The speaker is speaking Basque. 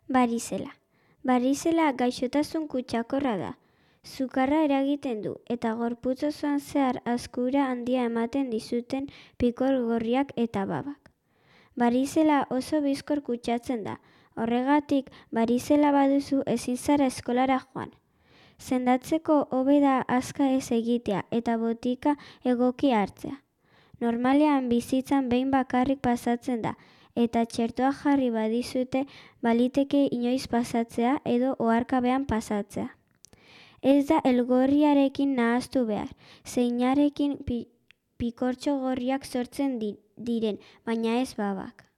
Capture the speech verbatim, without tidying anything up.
Barizela. Barizela gaixotasun kutsakorra da. Sukarra eragiten du eta gorputz osoan zehar azkura handia ematen dizuten pikor gorriak eta babak. Barizela oso bizkor kutsatzen da. Horregatik, barizela baduzu ezin zara eskolara joan. Sendatzeko hobe da azka ez egitea eta botika egoki hartzea. Normalean bizitzan behin bakarrik pasatzen da eta txertoa jarri badizute baliteke inoiz pasatzea edo oharkabean pasatzea. Ez da elgorriarekin nahaztu behar, zeinarekin pi, pikortxo gorriak sortzen di, diren, baina ez babak.